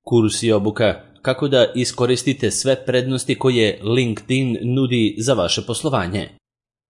Kurs i obuka kako da iskoristite sve prednosti koje LinkedIn nudi za vaše poslovanje.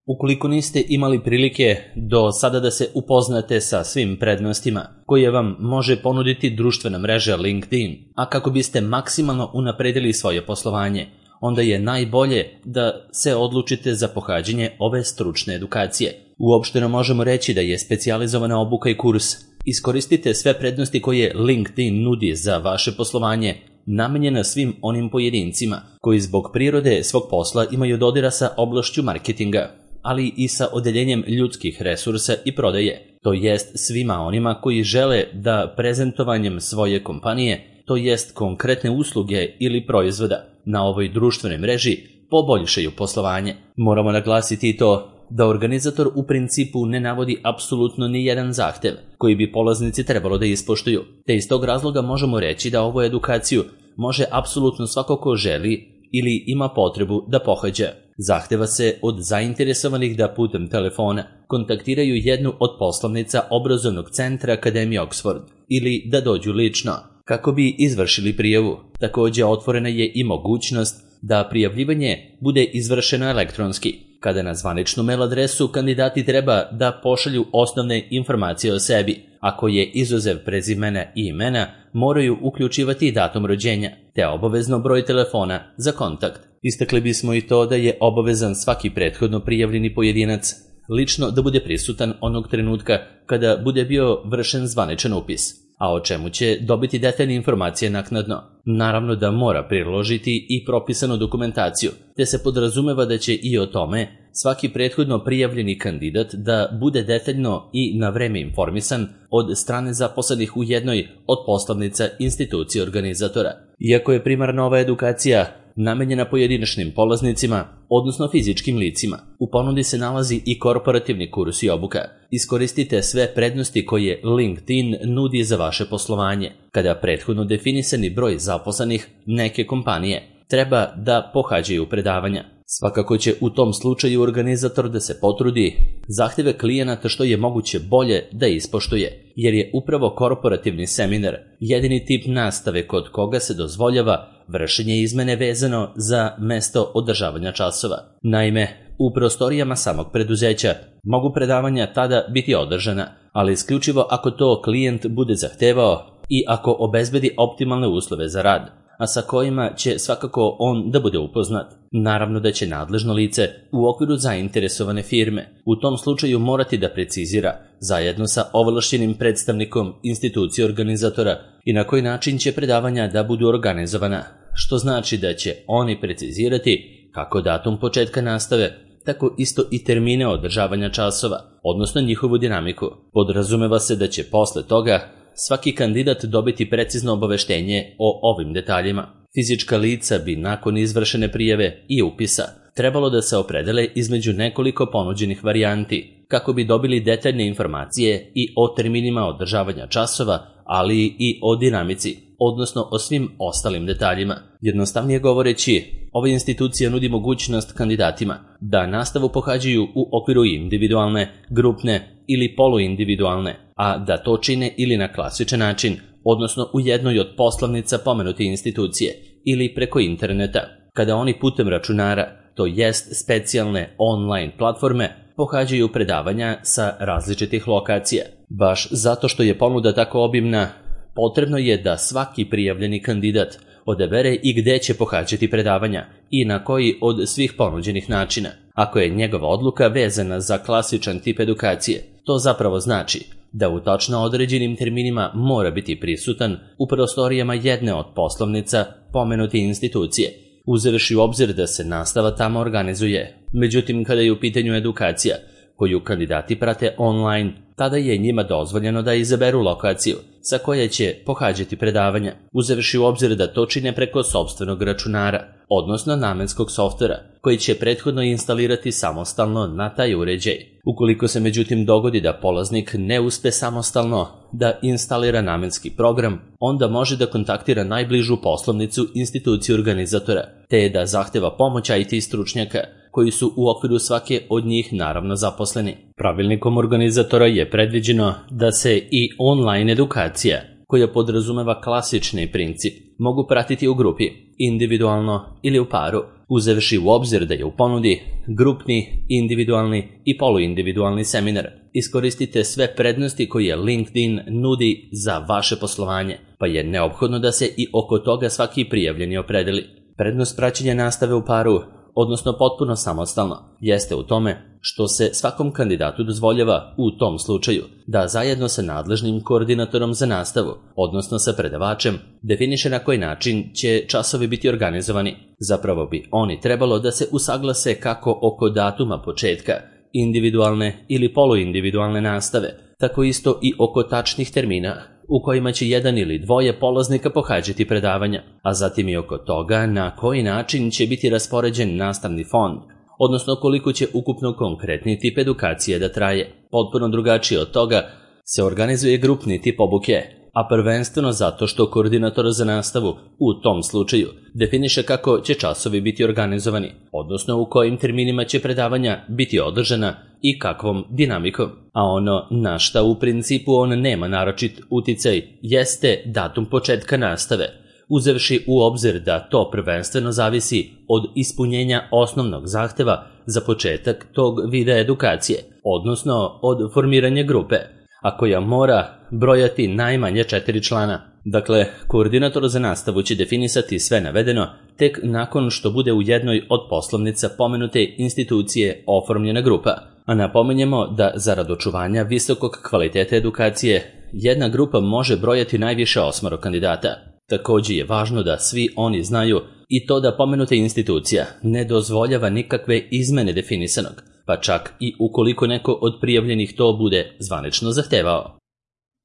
Ukoliko niste imali prilike do sada da se upoznate sa svim prednostima koje vam može ponuditi društvena mreža LinkedIn, a kako biste maksimalno unapredili svoje poslovanje, onda je najbolje da se odlučite za pohađanje ove stručne edukacije. Uopšteno možemo reći da je specijalizovana obuka i kurs. Iskoristite sve prednosti koje LinkedIn nudi za vaše poslovanje, namenjena svim onim pojedincima koji zbog prirode svog posla imaju dodira sa oblašću marketinga, ali i sa odeljenjem ljudskih resursa i prodaje, to jest svima onima koji žele da prezentovanjem svoje kompanije, to jest konkretne usluge ili proizvoda, na ovoj društvenoj mreži poboljšaju poslovanje. Moramo naglasiti i to da organizator u principu ne navodi apsolutno ni jedan zahtev koji bi polaznici trebalo da ispoštuju, te iz tog razloga možemo reći da ovu edukaciju može apsolutno svako ko želi ili ima potrebu da pohađa. Zahteva se od zainteresovanih da putem telefona kontaktiraju jednu od poslovnica obrazovnog centra Akademije Oxford ili da dođu lično kako bi izvršili prijavu. Također otvorena je i mogućnost da prijavljivanje bude izvršeno elektronski, kada na zvaničnu mail adresu kandidati treba da pošalju osnovne informacije o sebi. Ako je izuzev prezimena i imena, moraju uključivati datum rođenja, te obavezno broj telefona za kontakt. Istakli bismo i to da je obavezan svaki prethodno prijavljeni pojedinac lično da bude prisutan onog trenutka kada bude bio vršen zvaničan upis, a o čemu će dobiti detaljne informacije naknadno. Naravno da mora priložiti i propisanu dokumentaciju, te se podrazumeva da će i o tome svaki prethodno prijavljeni kandidat da bude detaljno i na vreme informisan od strane zaposlenih u jednoj od poslovnica institucije organizatora. Iako je primarna ova edukacija namenjena pojedinačnim polaznicima, odnosno fizičkim licima, u ponudi se nalazi i korporativni kurs i obuka. Iskoristite sve prednosti koje LinkedIn nudi za vaše poslovanje, kada prethodno definisani broj zaposlenih neke kompanije treba da pohađaju predavanja. Svakako će u tom slučaju organizator da se potrudi zahteve klijenata što je moguće bolje da ispoštuje, jer je upravo korporativni seminar jedini tip nastave kod koga se dozvoljava vršenje izmene vezano za mesto održavanja časova. Naime, u prostorijama samog preduzeća mogu predavanja tada biti održana, ali isključivo ako to klijent bude zahtevao i ako obezbedi optimalne uslove za rad, a sa kojima će svakako on da bude upoznat. Naravno da će nadležno lice u okviru zainteresovane firme u tom slučaju morati da precizira zajedno sa ovlašćenim predstavnikom institucije organizatora i na koji način će predavanja da budu organizovana, što znači da će oni precizirati kako datum početka nastave, tako isto i termine održavanja časova, odnosno njihovu dinamiku. Podrazumeva se da će posle toga svaki kandidat dobiti precizno obaveštenje o ovim detaljima. Fizička lica bi nakon izvršene prijave i upisa trebalo da se opredele između nekoliko ponuđenih varijanti, kako bi dobili detaljne informacije i o terminima održavanja časova, ali i o dinamici, odnosno o svim ostalim detaljima. Jednostavnije govoreći, ova institucija nudi mogućnost kandidatima da nastavu pohađaju u okviru individualne, grupne ili poluindividualne, a da to čine ili na klasičan način, odnosno u jednoj od poslovnica pomenute institucije ili preko interneta, kada oni putem računara, to jest specijalne online platforme, pohađaju predavanja sa različitih lokacija. Baš zato što je ponuda tako obimna, potrebno je da svaki prijavljeni kandidat odabere i gde će pohađati predavanja i na koji od svih ponuđenih načina. Ako je njegova odluka vezana za klasičan tip edukacije, to zapravo znači da u tačno određenim terminima mora biti prisutan u prostorijama jedne od poslovnica pomenute institucije, uzevši u obzir da se nastava tamo organizuje. Međutim, kada je u pitanju edukacija koju kandidati prate online, tada je njima dozvoljeno da izaberu lokaciju sa koje će pohađati predavanja, uzevši u obzir da to čine preko sopstvenog računara, odnosno namenskog softvera, koji će prethodno instalirati samostalno na taj uređaj. Ukoliko se međutim dogodi da polaznik ne uspe samostalno da instalira namenski program, onda može da kontaktira najbližu poslovnicu institucije organizatora, te da zahteva pomoć IT stručnjaka, koji su u okviru svake od njih naravno zaposleni. Pravilnikom organizatora je predviđeno da se i online edukacija, koja podrazumeva klasični princip, mogu pratiti u grupi, individualno ili u paru, uzevši u obzir da je u ponudi grupni, individualni i poluindividualni seminar. Iskoristite sve prednosti koje LinkedIn nudi za vaše poslovanje, pa je neophodno da se i oko toga svaki prijavljeni opredeli. Prednost praćenja nastave u paru, odnosno potpuno samostalno, jeste u tome što se svakom kandidatu dozvoljava u tom slučaju da zajedno sa nadležnim koordinatorom za nastavu, odnosno sa predavačem, definiše na koji način će časovi biti organizovani. Zapravo bi oni trebalo da se usaglase kako oko datuma početka individualne ili poluindividualne nastave, tako isto i oko tačnih termina u kojima će jedan ili dvoje polaznika pohađati predavanja, a zatim i oko toga na koji način će biti raspoređen nastavni fond, odnosno koliko će ukupno konkretni tip edukacije da traje. Potpuno drugačije od toga se organizuje grupni tip obuke, a prvenstveno zato što koordinator za nastavu u tom slučaju definiše kako će časovi biti organizovani, odnosno u kojim terminima će predavanja biti održana i kakvom dinamikom. A ono na šta u principu on nema naročit uticaj jeste datum početka nastave, uzevši u obzir da to prvenstveno zavisi od ispunjenja osnovnog zahteva za početak tog vida edukacije, odnosno od formiranja grupe, a koja mora brojati najmanje 4 člana. Dakle, koordinator za nastavu će definisati sve navedeno tek nakon što bude u jednoj od poslovnica pomenute institucije oformljena grupa, a napominjemo da zarad očuvanja visokog kvaliteta edukacije jedna grupa može brojati najviše 8 kandidata. Također je važno da svi oni znaju i to da pomenuta institucija ne dozvoljava nikakve izmene definisanog, pa čak i ukoliko neko od prijavljenih to bude zvanično zahtevao.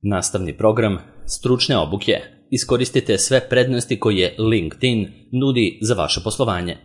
Nastavni program stručne obuke. Iskoristite sve prednosti koje LinkedIn nudi za vaše poslovanje.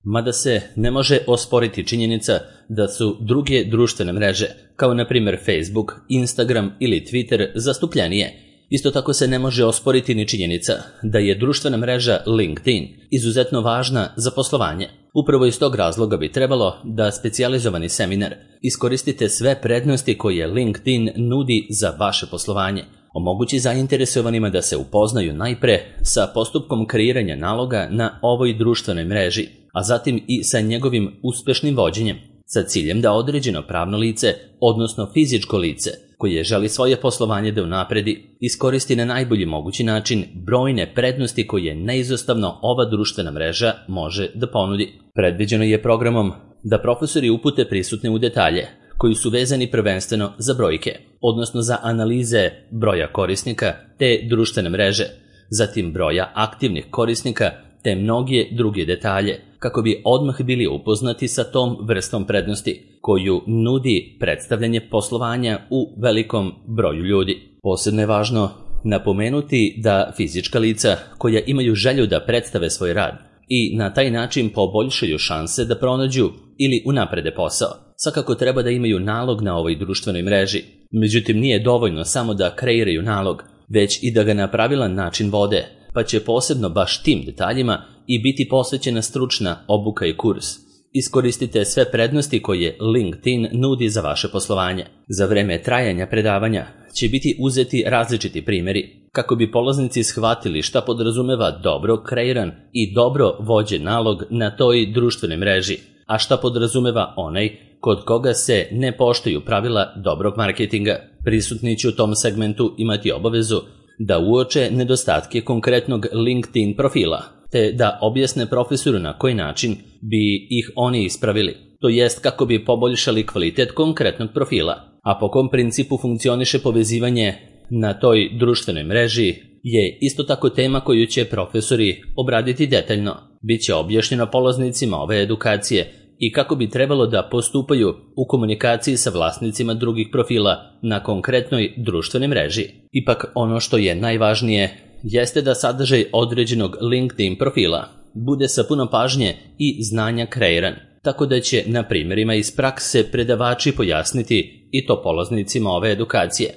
Mada se ne može osporiti činjenica da su druge društvene mreže, kao na primjer Facebook, Instagram ili Twitter, zastupljenije, isto tako se ne može osporiti ni činjenica da je društvena mreža LinkedIn izuzetno važna za poslovanje. Upravo iz tog razloga bi trebalo da specijalizovani seminar iskoristite sve prednosti koje LinkedIn nudi za vaše poslovanje. Omogući zainteresovanima da se upoznaju najpre sa postupkom kreiranja naloga na ovoj društvenoj mreži, a zatim i sa njegovim uspešnim vođenjem, sa ciljem da određeno pravno lice, odnosno fizičko lice, koje želi svoje poslovanje da unapredi, iskoristi na najbolji mogući način brojne prednosti koje neizostavno ova društvena mreža može da ponudi. Predviđeno je programom da profesori upute prisutne u detalje, koji su vezani prvenstveno za brojke, odnosno za analize broja korisnika te društvene mreže, zatim broja aktivnih korisnika te mnoge druge detalje, kako bi odmah bili upoznati sa tom vrstom prednosti koju nudi predstavljanje poslovanja u velikom broju ljudi. Posebno je važno napomenuti da fizička lica koja imaju želju da predstave svoj rad i na taj način poboljšaju šanse da pronađu ili unaprede posao, svakako treba da imaju nalog na ovoj društvenoj mreži. Međutim, nije dovoljno samo da kreiraju nalog, već i da ga na pravilan način vode, pa će posebno baš tim detaljima i biti posvećena stručna obuka i kurs. Iskoristite sve prednosti koje LinkedIn nudi za vaše poslovanje. Za vreme trajanja predavanja će biti uzeti različiti primjeri, kako bi polaznici shvatili šta podrazumeva dobro kreiran i dobro vođen nalog na toj društvenoj mreži, a šta podrazumeva onaj kod koga se ne poštuju pravila dobrog marketinga. Prisutni će u tom segmentu imati obavezu da uoče nedostatke konkretnog LinkedIn profila, te da objasne profesoru na koji način bi ih oni ispravili, to jest kako bi poboljšali kvalitet konkretnog profila, a po kom principu funkcioniše povezivanje na toj društvenoj mreži je isto tako tema koju će profesori obraditi detaljno. Biće objašnjeno polaznicima ove edukacije i kako bi trebalo da postupaju u komunikaciji sa vlasnicima drugih profila na konkretnoj društvenoj mreži. Ipak ono što je najvažnije jeste da sadržaj određenog LinkedIn profila bude sa puno pažnje i znanja kreiran, tako da će na primjerima iz prakse predavači pojasniti i to polaznicima ove edukacije.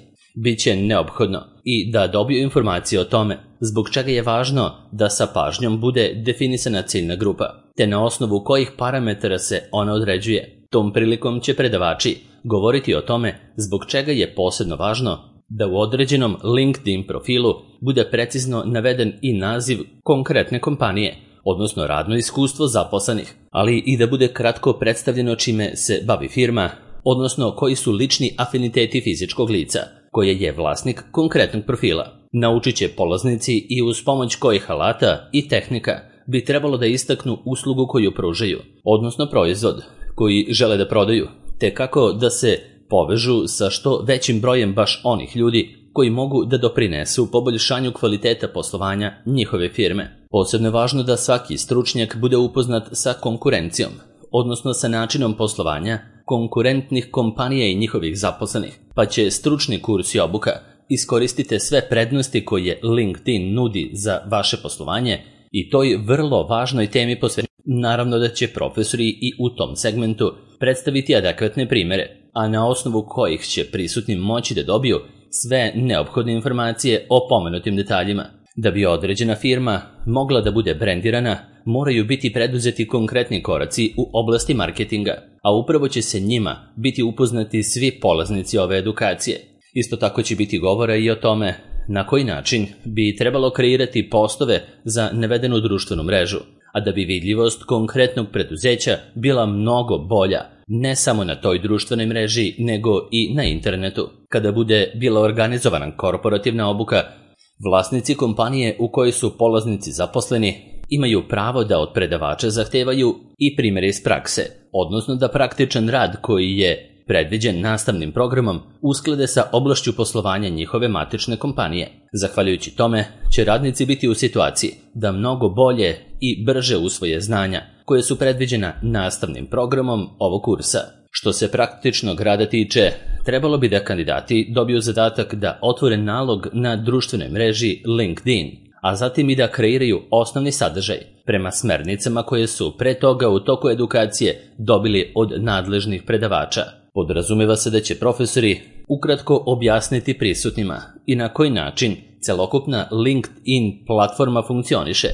Biće neophodno i da dobiju informacije o tome zbog čega je važno da sa pažnjom bude definisana ciljna grupa, te na osnovu kojih parametara se ona određuje. Tom prilikom će predavači govoriti o tome zbog čega je posebno važno da u određenom LinkedIn profilu bude precizno naveden i naziv konkretne kompanije, odnosno radno iskustvo zaposlenih, ali i da bude kratko predstavljeno čime se bavi firma, odnosno koji su lični afiniteti fizičkog lica, koje je vlasnik konkretnog profila. Naučit će polaznici i uz pomoć kojih alata i tehnika bi trebalo da istaknu uslugu koju pružaju, odnosno proizvod koji žele da prodaju, te kako da se povežu sa što većim brojem baš onih ljudi koji mogu da doprinesu poboljšanju kvaliteta poslovanja njihove firme. Posebno je važno da svaki stručnjak bude upoznat sa konkurencijom, odnosno sa načinom poslovanja konkurentnih kompanija i njihovih zaposlenih, pa će stručni kurs i obuka iskoristite sve prednosti koje LinkedIn nudi za vaše poslovanje i toj vrlo važnoj temi posvetiti. Naravno da će profesori i u tom segmentu predstaviti adekvatne primere, a na osnovu kojih će prisutni moći da dobiju sve neophodne informacije o pomenutim detaljima. Da bi određena firma mogla da bude brendirana, moraju biti preduzeti konkretni koraci u oblasti marketinga, a upravo će se njima biti upoznati svi polaznici ove edukacije. Isto tako će biti govora i o tome na koji način bi trebalo kreirati postove za navedenu društvenu mrežu, a da bi vidljivost konkretnog preduzeća bila mnogo bolja, ne samo na toj društvenoj mreži, nego i na internetu. Kada bude bila organizovana korporativna obuka, vlasnici kompanije u kojoj su polaznici zaposleni imaju pravo da od predavača zahtevaju i primjere iz prakse, odnosno da praktičan rad koji je predviđen nastavnim programom usklade sa oblašću poslovanja njihove matične kompanije. Zahvaljujući tome će radnici biti u situaciji da mnogo bolje i brže usvoje znanja koje su predviđena nastavnim programom ovog kursa. Što se praktičnog rada tiče, trebalo bi da kandidati dobiju zadatak da otvore nalog na društvenoj mreži LinkedIn, a zatim i da kreiraju osnovni sadržaj prema smernicama koje su pre toga u toku edukacije dobili od nadležnih predavača. Podrazumeva se da će profesori ukratko objasniti prisutnima i na koji način celokupna LinkedIn platforma funkcioniše,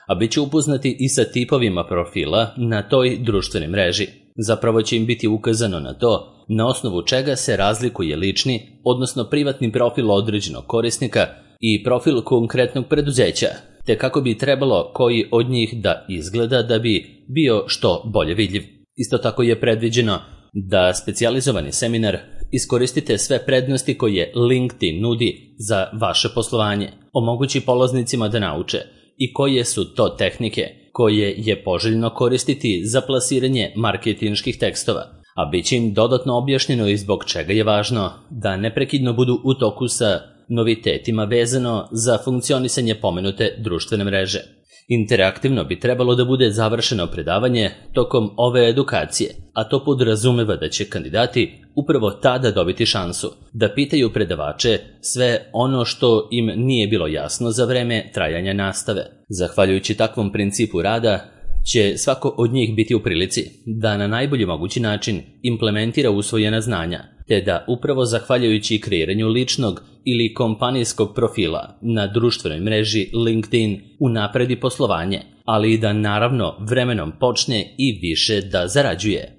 a bit će upoznati i sa tipovima profila na toj društvenoj mreži. Zapravo će im biti ukazano na to na osnovu čega se razlikuje lični, odnosno privatni profil određenog korisnika i profil konkretnog preduzeća, te kako bi trebalo koji od njih da izgleda da bi bio što bolje vidljiv. Isto tako je predviđeno da specijalizovani seminar iskoristite sve prednosti koje LinkedIn nudi za vaše poslovanje, omogući polaznicima da nauče i koje su to tehnike koje je poželjno koristiti za plasiranje marketinških tekstova, a bit će im dodatno objašnjeno i zbog čega je važno da neprekidno budu u toku sa novitetima vezano za funkcionisanje pomenute društvene mreže. Interaktivno bi trebalo da bude završeno predavanje tokom ove edukacije, a to podrazumeva da će kandidati upravo tada dobiti šansu da pitaju predavače sve ono što im nije bilo jasno za vreme trajanja nastave. Zahvaljujući takvom principu rada će svako od njih biti u prilici da na najbolji mogući način implementira usvojena znanja, te da upravo zahvaljujući kreiranju ličnog ili kompanijskog profila na društvenoj mreži LinkedIn unapredi poslovanje, ali i da naravno vremenom počne i više da zarađuje.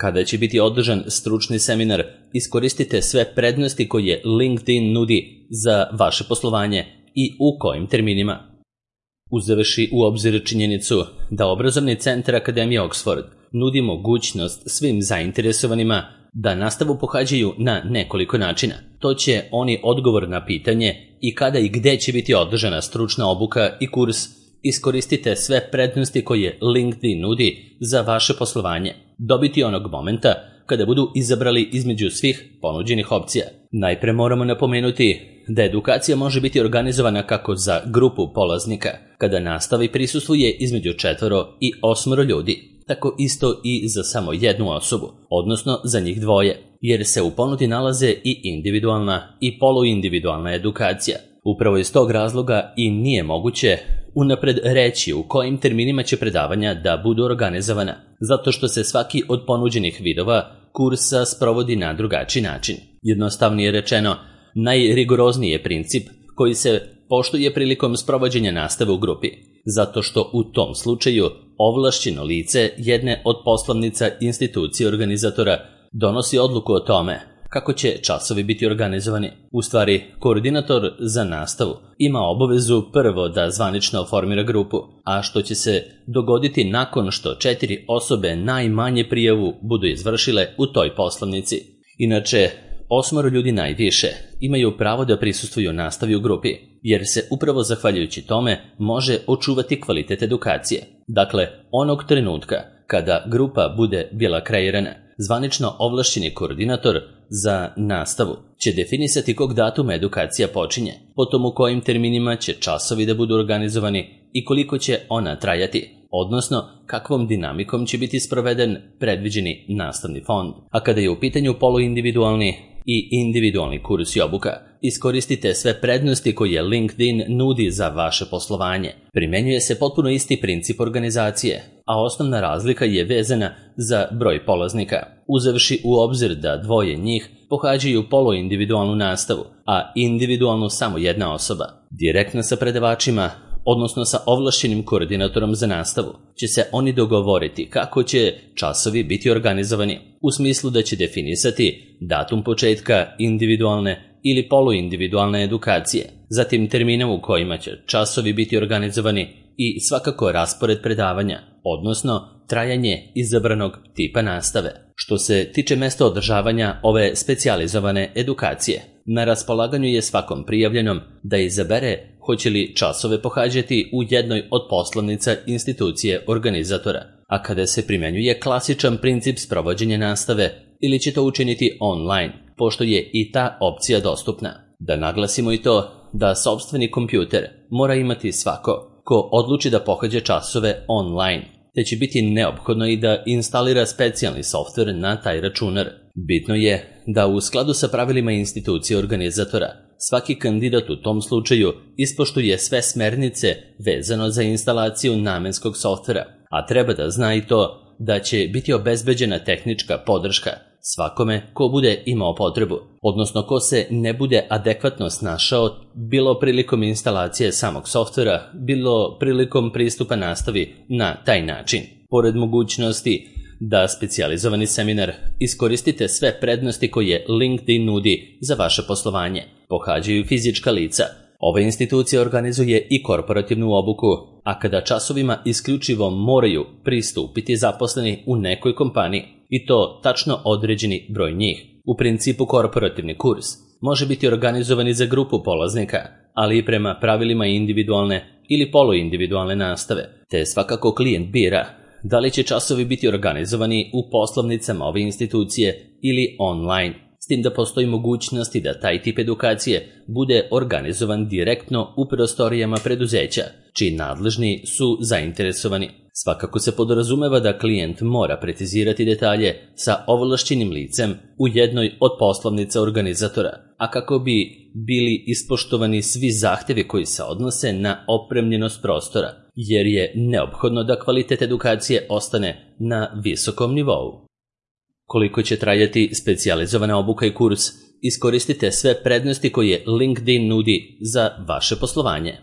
Kada će biti održan stručni seminar, iskoristite sve prednosti koje LinkedIn nudi za vaše poslovanje i u kojim terminima. Uzevši u obzir činjenicu da obrazovni centar Akademije Oxford nudi mogućnost svim zainteresovanima da nastavu pohađaju na nekoliko načina. To će oni odgovor na pitanje i kada i gde će biti održana stručna obuka i kurs, iskoristite sve prednosti koje LinkedIn nudi za vaše poslovanje, dobiti onog momenta kada budu izabrali između svih ponuđenih opcija. Najpre moramo napomenuti da edukacija može biti organizovana kako za grupu polaznika, kada nastavi prisustvuje između 4 i 8 ljudi, tako isto i za samo jednu osobu, odnosno za njih dvoje, jer se u ponudi nalaze i individualna i poluindividualna edukacija. Upravo iz tog razloga i nije moguće unapred reći u kojim terminima će predavanja da budu organizovana, zato što se svaki od ponuđenih vidova kursa sprovodi na drugačiji način. Jednostavnije rečeno, najrigorozniji je princip koji se poštuje prilikom sprovođenja nastave u grupi, zato što u tom slučaju ovlašćeno lice jedne od poslovnica institucije organizatora donosi odluku o tome kako će časovi biti organizovani. U stvari, koordinator za nastavu ima obavezu prvo da zvanično formira grupu, a što će se dogoditi nakon što 4 osobe najmanje prijavu budu izvršile u toj poslovnici. Inače, 8 ljudi najviše imaju pravo da prisustvuju nastavi u grupi, jer se upravo zahvaljujući tome može očuvati kvalitet edukacije. Dakle, onog trenutka kada grupa bude bila kreirana, zvanično ovlašćeni koordinator za nastavu će definisati kog datuma edukacija počinje, potom u kojim terminima će časovi da budu organizovani i koliko će ona trajati, odnosno kakvom dinamikom će biti sproveden predviđeni nastavni fond. A kada je u pitanju poluindividualni i individualni kurs i obuka, iskoristite sve prednosti koje LinkedIn nudi za vaše poslovanje. Primjenjuje se potpuno isti princip organizacije, a osnovna razlika je vezana za broj polaznika, uzevši u obzir da 2 njih pohađaju poluindividualnu nastavu, a individualnu samo 1 osoba. Direktno sa predavačima, odnosno sa ovlašćenim koordinatorom za nastavu, će se oni dogovoriti kako će časovi biti organizovani, u smislu da će definisati datum početka individualne ili poluindividualne edukacije, zatim termine u kojima će časovi biti organizovani i svakako raspored predavanja, odnosno trajanje izabranog tipa nastave. Što se tiče mesta održavanja ove specijalizovane edukacije, na raspolaganju je svakom prijavljenom da izabere hoće li časove pohađati u jednoj od poslovnica institucije organizatora, a kada se primjenjuje klasičan princip sprovođenja nastave ili će to učiniti online, pošto je i ta opcija dostupna. Da naglasimo i to da sopstveni kompjuter mora imati svako ko odluči da pohađa časove online, te će biti neophodno i da instalira specijalni softver na taj računar. Bitno je da u skladu sa pravilima institucije organizatora svaki kandidat u tom slučaju ispoštuje sve smernice vezano za instalaciju namenskog softvera, a treba da zna i to da će biti obezbeđena tehnička podrška svakome ko bude imao potrebu, odnosno ko se ne bude adekvatno snašao bilo prilikom instalacije samog softvera, bilo prilikom pristupa nastavi na taj način. Pored mogućnosti da specijalizovani seminar iskoristite sve prednosti koje LinkedIn nudi za vaše poslovanje, pohađaju fizička lica. Ova institucija organizuje i korporativnu obuku, a kada časovima isključivo moraju pristupiti zaposleni u nekoj kompaniji, i to tačno određeni broj njih. U principu korporativni kurs može biti organizovan i za grupu polaznika, ali i prema pravilima individualne ili poluindividualne nastave, te svakako klijent bira da li će časovi biti organizovani u poslovnicama ove institucije ili online, s tim da postoji mogućnosti da taj tip edukacije bude organizovan direktno u prostorijama preduzeća, čiji nadležni su zainteresovani. Svakako se podrazumeva da klijent mora precizirati detalje sa ovlašćenim licem u jednoj od poslovnica organizatora, a kako bi bili ispoštovani svi zahtevi koji se odnose na opremljenost prostora, jer je neophodno da kvalitet edukacije ostane na visokom nivou. Koliko će trajati specijalizovana obuka i kurs, iskoristite sve prednosti koje LinkedIn nudi za vaše poslovanje.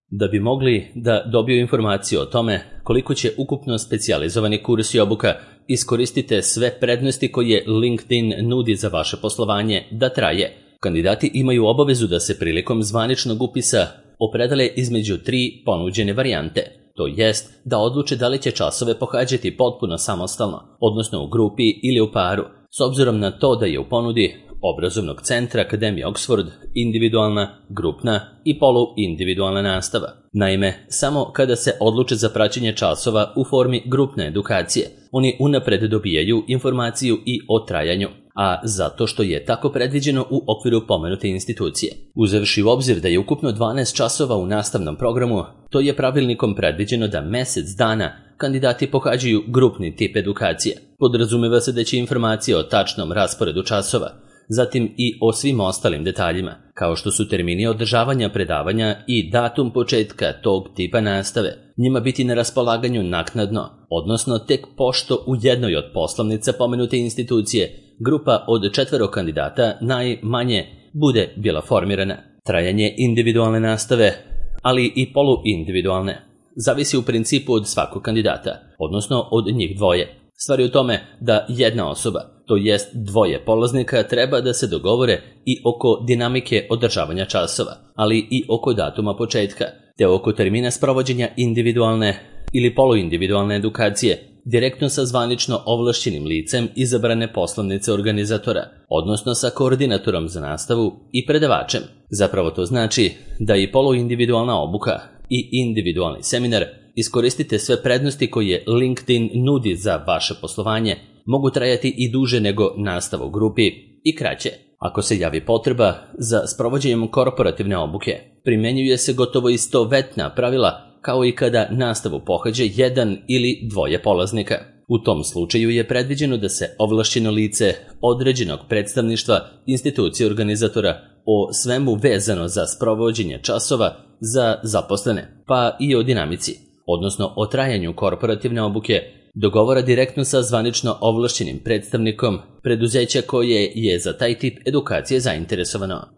Da bi mogli da dobiju informaciju o tome koliko će ukupno specijalizovani kurs i obuka, iskoristite sve prednosti koje LinkedIn nudi za vaše poslovanje da traje. Kandidati imaju obavezu da se prilikom zvaničnog upisa opredele između 3 ponuđene varijante, to jest da odluče da li će časove pohađati potpuno samostalno, odnosno u grupi ili u paru, s obzirom na to da je u ponudi obrazovnog centra Akademije Oxford individualna, grupna i poluindividualna nastava. Naime, samo kada se odluče za praćenje časova u formi grupne edukacije, oni unapred dobijaju informaciju i o trajanju, a zato što je tako predviđeno u okviru pomenute institucije. Uzevši u obzir da je ukupno 12 časova u nastavnom programu, to je pravilnikom predviđeno da mjesec dana kandidati pohađaju grupni tip edukacije. Podrazumeva se da će informacije o tačnom rasporedu časova, zatim i o svim ostalim detaljima, kao što su termini održavanja predavanja i datum početka tog tipa nastave, njima biti na raspolaganju naknadno, odnosno tek pošto u jednoj od poslovnica pomenute institucije grupa od 4 kandidata najmanje bude bila formirana. Trajanje individualne nastave, ali i poluindividualne, zavisi u principu od svakog kandidata, odnosno od njih dvoje. Stvar je u tome da jedna osoba to jest dvoje polaznika, treba da se dogovore i oko dinamike održavanja časova, ali i oko datuma početka, te oko termina sprovođenja individualne ili poluindividualne edukacije, direktno sa zvanično ovlašćenim licem izabrane poslovnice organizatora, odnosno sa koordinatorom za nastavu i predavačem. Zapravo to znači da i poluindividualna obuka i individualni seminar iskoristite sve prednosti koje LinkedIn nudi za vaše poslovanje, mogu trajati i duže nego nastava u grupi i kraće. Ako se javi potreba za sprovođenjem korporativne obuke, primjenjuje se gotovo istovetna pravila kao i kada nastavu pohađa jedan ili dvoje polaznika. U tom slučaju je predviđeno da se ovlašćeno lice određenog predstavništva institucije organizatora o svemu vezano za sprovođenje časova za zaposlene, pa i o dinamici, odnosno o trajanju korporativne obuke, dogovora direktno sa zvanično ovlašćenim predstavnikom preduzeća koje je za taj tip edukacije zainteresovano.